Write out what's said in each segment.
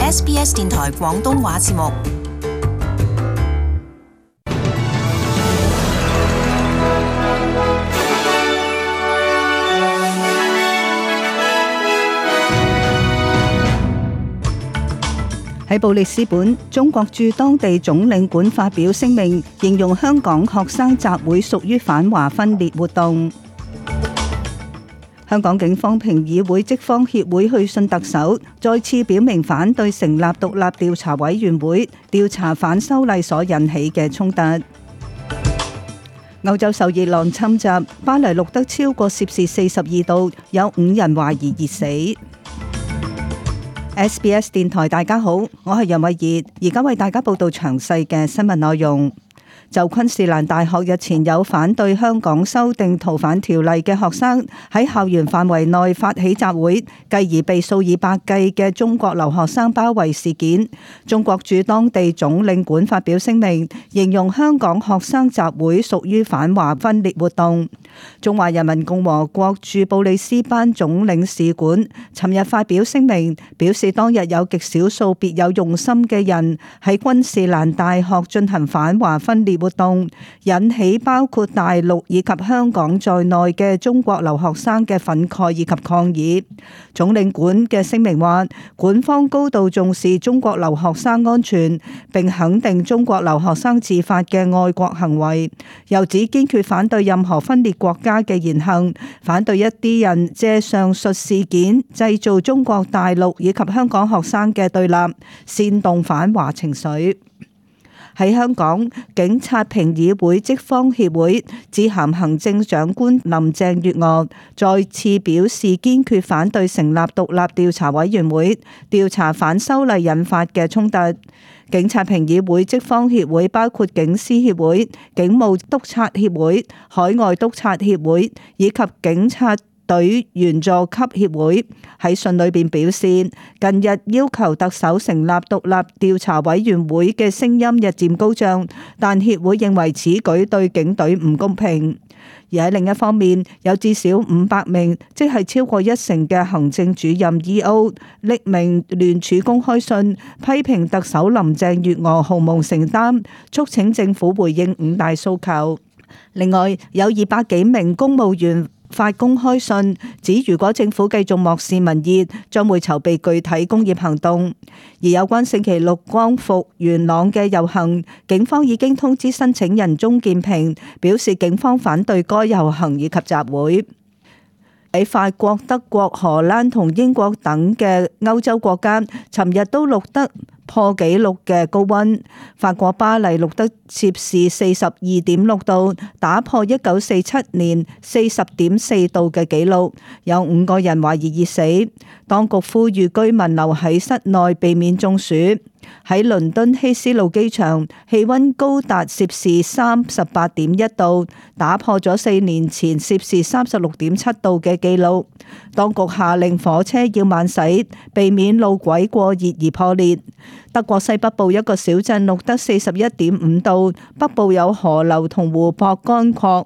SBS 電台廣東話節目。喺布里斯本，中國駐當地總領館發表聲明，形容香港學生集會屬於反華分裂活動。香港警方評議會職方協會去信特首，再次表明反對成立獨立調查委員會調查反修例所引起嘅衝突。歐洲受熱浪侵襲，巴黎錄得超過攝氏42度，有5人懷疑熱死。SBS 電台大家好，我係楊慧儀，而家為大家報道詳細嘅新聞內容。就昆士蘭大學日前有反對香港修訂逃犯條例嘅學生喺校園範圍內發起集會，繼而被數以百計嘅中國留學生包圍事件，中國駐當地總領館發表聲明，形容香港學生集會屬於反華分裂活動。中華人民共和國駐布里斯班總領事館尋日發表聲明，表示當日有極少數別有用心嘅人喺昆士蘭大學進行反華分裂活動，引起包括大陸以及香港在內嘅中國留學生嘅憤慨以及抗議。總領館嘅聲明話，館方高度重視中國留學生安全，並肯定中國留學生自發嘅愛國行為，又指堅決反對任何分裂國家嘅言行，反對一啲人借上述事件製造中國大陸以及香港學生嘅對立，煽動反華情緒。喺香港，警察評議會職方協會致函行政長官林鄭月娥，再次表示堅決反對成立獨立調查委員會調查反修例引發嘅衝突。警察評議會職方協會包括警司協會、警務督察協會、海外督察協會以及警察隊員佐級協會喺信裏邊表示，近日要求特首成立獨立調查委員會嘅聲音日漸高漲，但協會認為此舉對警隊唔公平。而喺另一方面，有至少500名，即係超過1成嘅行政主任 E.O. 匿名聯署公開信，批評特首林鄭月娥毫無承擔，促請政府回應5大訴求。另外，有200幾名公務員發公開信，指如果政府繼續漠視民意，將會籌備具體工業行動。而有關星期六光復元朗嘅遊行，警方已經通知申請人鍾建平，表示警方反對該遊行以及集會。喺法國、德國、荷蘭同英國等嘅歐洲國家，尋日都錄得破紀錄嘅高溫。法國巴黎錄得攝氏42.6度，打破1947年40.4度嘅紀錄，有5個人懷疑熱死。當局呼籲居民留喺室內，避免中暑。喺倫敦希斯路機場，氣溫高達攝氏38.1度，打破咗4年前攝氏36.7度嘅紀錄。當局下令火車要慢駛，避免路軌過熱而破裂。德國西北部一個小鎮錄得41.5度，北部有河流同湖泊乾涸。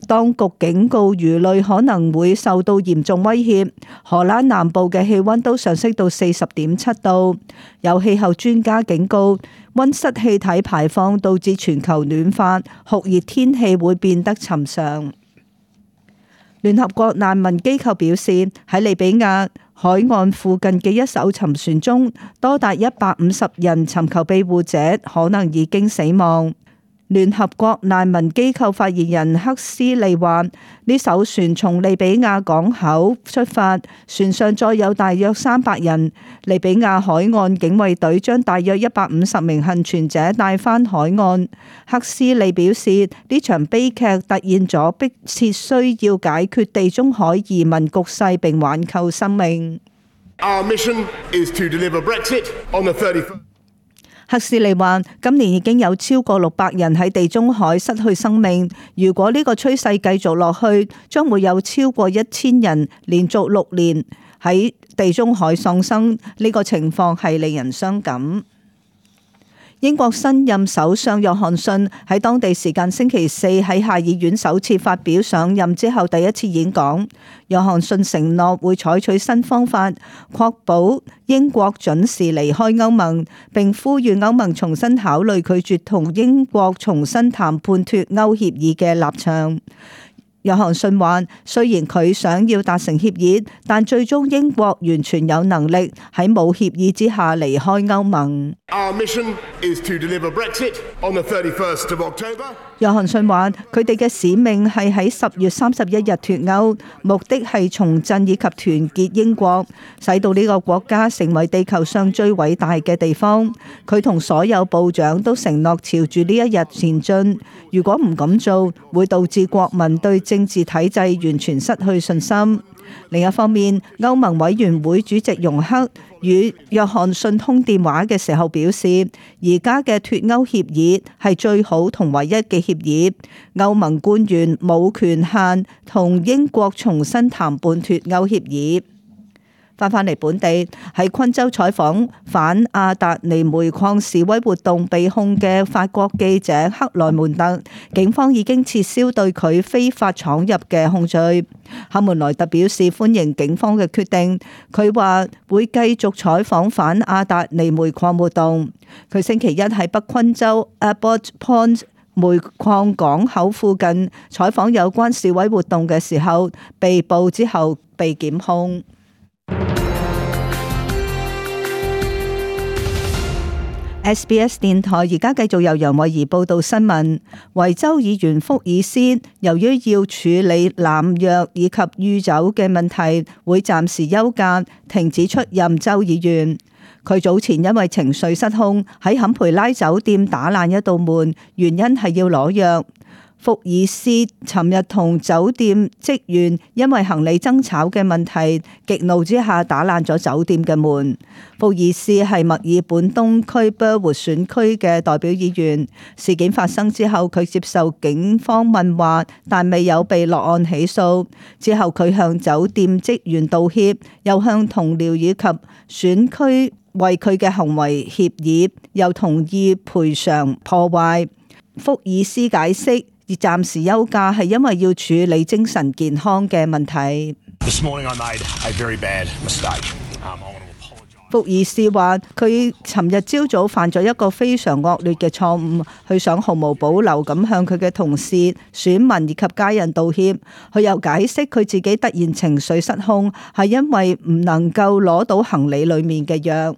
當局警告魚類可能會受到嚴重威脅。荷蘭南部嘅氣溫都上升到40.7度。有氣候專家警告，溫室氣體排放導致全球暖化，酷熱天氣會變得尋常。聯合國難民機構表示，喺利比亞海岸附近嘅一艘沉船中，多達150人尋求庇護者可能已經死亡。聯合國難民機構發言人克斯利話，呢艘船從利比亞港口出發，船上載有大約300人。利比亞海岸警衛隊將大約150名倖存者帶返海岸。克斯利表示，呢場悲劇突現咗迫切需要解決地中海移民局勢並挽救生命。Our mission is to deliver Brexit on the 31st. 克斯利話：今年已經有超過600人喺地中海失去生命。如果呢個趨勢繼續落去，將會有超過1000人連續6年喺地中海喪生。呢個情況係令人傷感。英國新任首相約翰遜喺當地時間星期四喺下議院首次發表上任之後第一次演講。約翰遜承諾會採取新方法，確保英國準時離開歐盟，並呼籲歐盟重新考慮拒絕同英國重新談判脫歐協議嘅立場。約翰遜話：雖然佢想要達成協議，但最終英國完全有能力喺冇協議之下離開歐盟。Our mission is to deliver Brexit on the 31st of October. 約翰遜話：佢哋嘅使命係喺10月31日脫歐，目的係重振以及團結英國，使到呢個國家成為地球上最偉大嘅地方。佢同所有部長都承諾朝住呢一日前進。如果唔咁做，會導致國民對政治體制完全失去信心。另一方面，歐盟委員會主席容克與約翰遜通電話嘅時候表示，而家嘅脫歐協議係最好同唯一嘅協議。歐盟官員冇權限同英國重新談判脫歐協議。返嚟本地，喺昆州採訪反阿達尼煤礦示威活動被控嘅法國記者克萊門特，警方已經撤銷對佢非法闖入嘅控罪。克門萊特表示歡迎警方嘅決定，佢話會繼續採訪反阿達尼煤礦活動。佢星期一喺北昆州 Abbot Point 煤礦港口附近採訪有關示威活動嘅時候被捕，之後被檢控。SBS 電台而家繼續由楊慧儀報道新聞。維州議員福爾斯由於要處理濫藥以及酗酒嘅問題，會暫時休假，停止出任州議員。佢早前因為情緒失控，喺坎培拉酒店打爛一道門，原因係要攞藥。福爾斯尋日同酒店職員因為行李爭吵嘅問題，極怒之下打爛咗酒店嘅門。福爾斯係墨爾本東區 Burwood 選區嘅代表議員。事件發生之後，佢接受警方問話，但未有被落案起訴。之後佢向酒店職員道歉，又向同僚以及選區為佢嘅行為歉意，又同意賠償破壞。福爾斯解釋，而暫時休假係因為要處理精神健康嘅問題。福爾斯話：佢尋日朝早犯咗一個非常惡劣嘅錯誤，佢想毫無保留咁向佢嘅同事、選民以及家人道歉。佢又解釋佢自己突然情緒失控，係因為唔能夠攞到行李裡面嘅藥。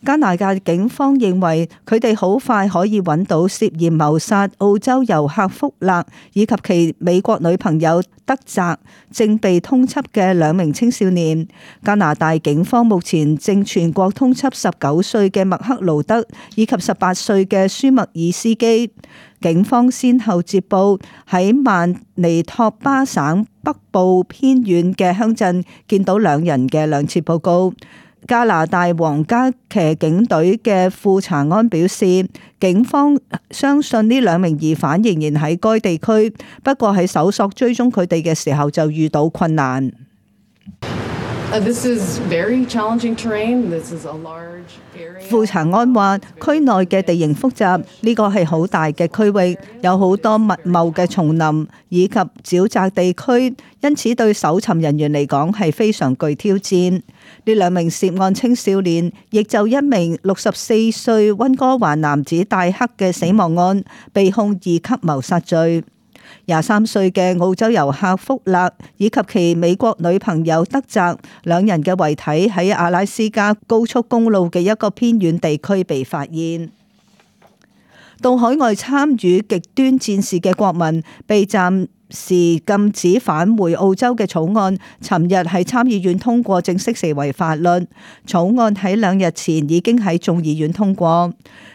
加拿大警方認為佢哋好快可以揾到涉嫌謀殺澳洲遊客福勒以及其美國女朋友德澤正被通緝嘅2名青少年。加拿大警方目前正全國通緝19歲嘅麥克勞德以及18歲嘅舒默爾斯基。警方先後接報喺曼尼托巴省北部偏遠嘅鄉鎮見到2人嘅2次報告。加拿大皇家騎警隊嘅副查安表示，警方相信呢2名疑犯仍然喺該地區，不過喺搜索追蹤佢哋嘅時候就遇到困難。副查安話：區內嘅地形複雜，呢個係好大嘅區域，有好多密茂嘅叢林以及沼澤地區，因此對搜尋人員嚟講係非常具挑戰。呢2名涉案青少年亦就1名64歲溫哥華男子戴克嘅死亡案被控2級謀殺罪。23歲嘅澳洲遊客福勒以及其美國女朋友德澤2人嘅遺體喺阿拉斯加高速公路嘅一個偏遠地區被發現。到海外參與極端戰事嘅國民被暫時禁止返回澳洲嘅草案，尋日喺參議院通過，正式成為法律。草案喺2日前已經喺眾議院通過。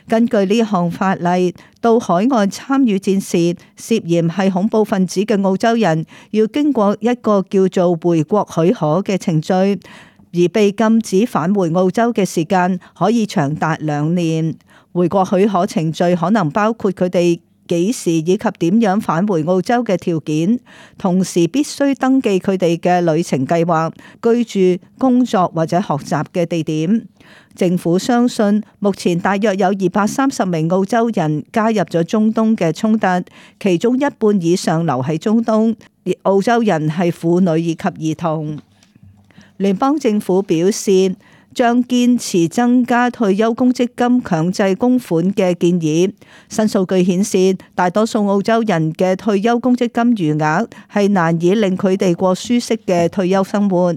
根據呢項法例，到海外參與戰事涉嫌係恐怖分子嘅澳洲人，要經過一個叫做回國許可嘅程序，而被禁止返回澳洲嘅時間可以長達2年。回國許可程序可能包括佢哋幾時以及點樣返回澳洲嘅條件，同時必須登記佢哋嘅旅程計劃、居住、工作或者學習嘅地點。政府相信目前大約有230名澳洲人加入咗中東嘅衝突，其中一半以上留喺中東，而澳洲人係婦女以及兒童。聯邦政府表示，將堅持增加退休公積金強制供款嘅建議。新數據顯示，大多數澳洲人嘅退休公積金餘額係難以令佢哋過舒適嘅退休生活。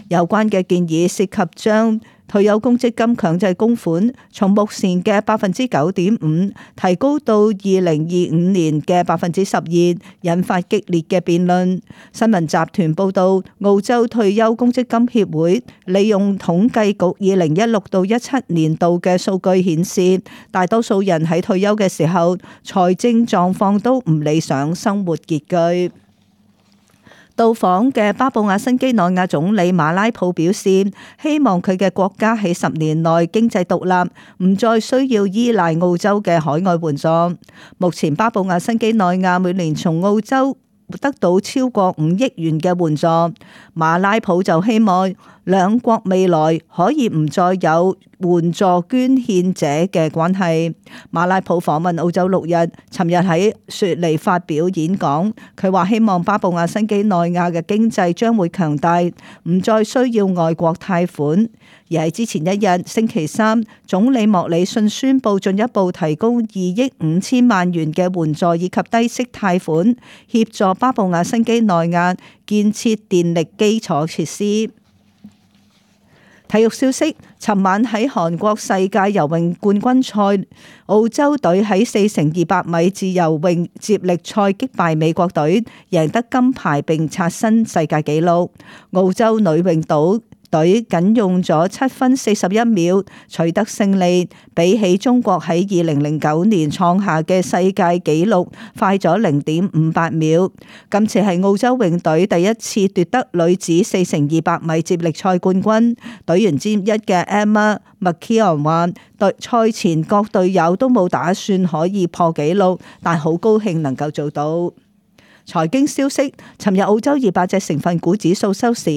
有關嘅建議涉及將退休公積金強制供款從目前嘅9.5%提高到2025年嘅12%，引發激烈嘅辯論。新聞集團報道，澳洲退休公積金協會利用統計局2016到17年度嘅數據顯示，大多數人喺退休嘅時候財政狀況都唔理想，生活拮據。到訪嘅巴布亞新畿內亞總理馬拉普表示，希望佢嘅國家喺10年內經濟獨立，唔再需要依賴澳洲嘅海外援助。目前巴布亞新畿內亞每年從澳洲得到超過5億元嘅援助。馬拉普就希望兩國未來可以唔再有援助捐獻者嘅關係。馬拉普訪問澳洲6日，尋日喺雪梨發表演講，佢話希望巴布亞新畿內亞嘅經濟將會強大，唔再需要外國貸款。而喺之前一日，星期三，總理莫里遜宣布進一步提供2億5千萬元嘅援助以及低息貸款，協助巴布亞新畿內亞建設電力基礎設施。體育消息，尋晚喺韓國世界游泳冠軍賽，澳洲隊喺4×200米自由泳接力賽擊敗美國隊，贏得金牌並刷新世界紀錄。澳洲女泳隊僅用咗7分41秒取得勝利，比起中國喺2009年創下嘅世界紀錄快咗0.58秒。今次係澳洲泳隊第一次奪得女子4×200米接力賽冠軍。隊員之一嘅 Emma McKeon 話，賽前各隊友都冇打算可以破紀錄，但好高興能夠做到。財經消息，尋日澳洲200隻成分股指數收市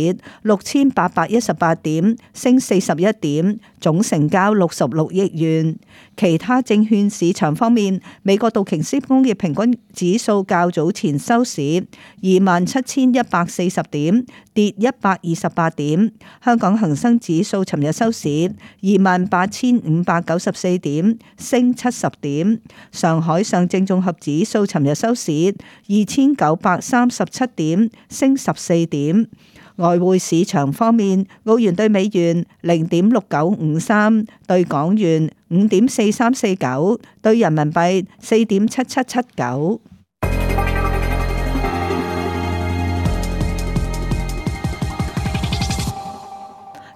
6818點，升41點，總成交66億元。其他證券市場方面，美國道瓊斯工業平均指數較早前收市27140點，跌128點。香港恒生指數尋日收市28594點，升70點。上海上證綜合指數尋日收市2937點，升14點。外匯市場方面，澳元對美元0.6953，對港元5.4349，對人民幣4.7779。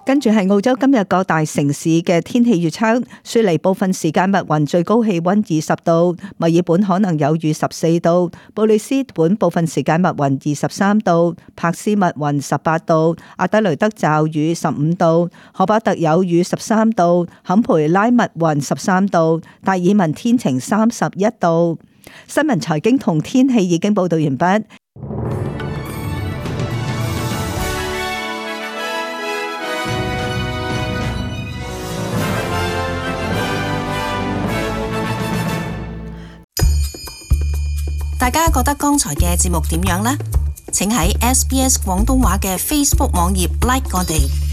跟住係澳洲今日各大城市嘅天氣預測：雪梨部分時間密雲，最高氣溫20度；墨爾本可能有雨14度；布里斯本部分時間密雲23度；柏斯密雲18度；阿德雷德驟雨15度；荷巴特有雨13度；坎培拉密雲13度；達爾文天晴31度。新聞財經同天氣已經報道完畢。大家覺得剛才嘅節目點樣呢？請喺SBS 廣東話嘅 Facebook 網頁 like 我哋。